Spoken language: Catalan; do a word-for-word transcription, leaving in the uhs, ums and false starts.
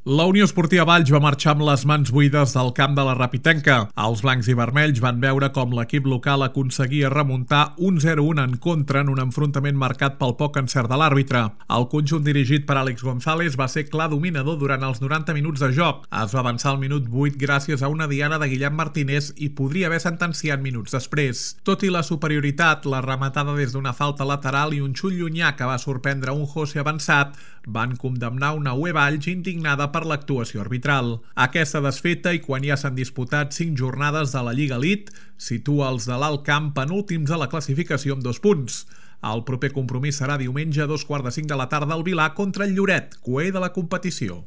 La Unió Esportiva Valls va marxar amb les mans buides del camp de la Rapitenca. Els blancs i vermells van veure com l'equip local aconseguia remuntar un zero a un en contra en un enfrontament marcat pel poc encert de l'àrbitre. El conjunt dirigit per Àlex González va ser clar dominador durant els noranta minuts de joc. Es va avançar al minut vuit gràcies a una diana de Guillem Martínez i podria haver sentenciat minuts després. Tot i la superioritat, la rematada des d'una falta lateral i un xut llunyà que va sorprendre un José avançat van condemnar una U E Valls indignada per l'actuació arbitral. Aquesta desfeta, i quan ja s'han disputat cinc jornades de la Lliga Elite, situa els de l'Alt Camp penúltims a la classificació amb dos punts. El proper compromís serà diumenge a dos quarts de cinc de la tarda al Vilar contra el Lloret, coer de la competició.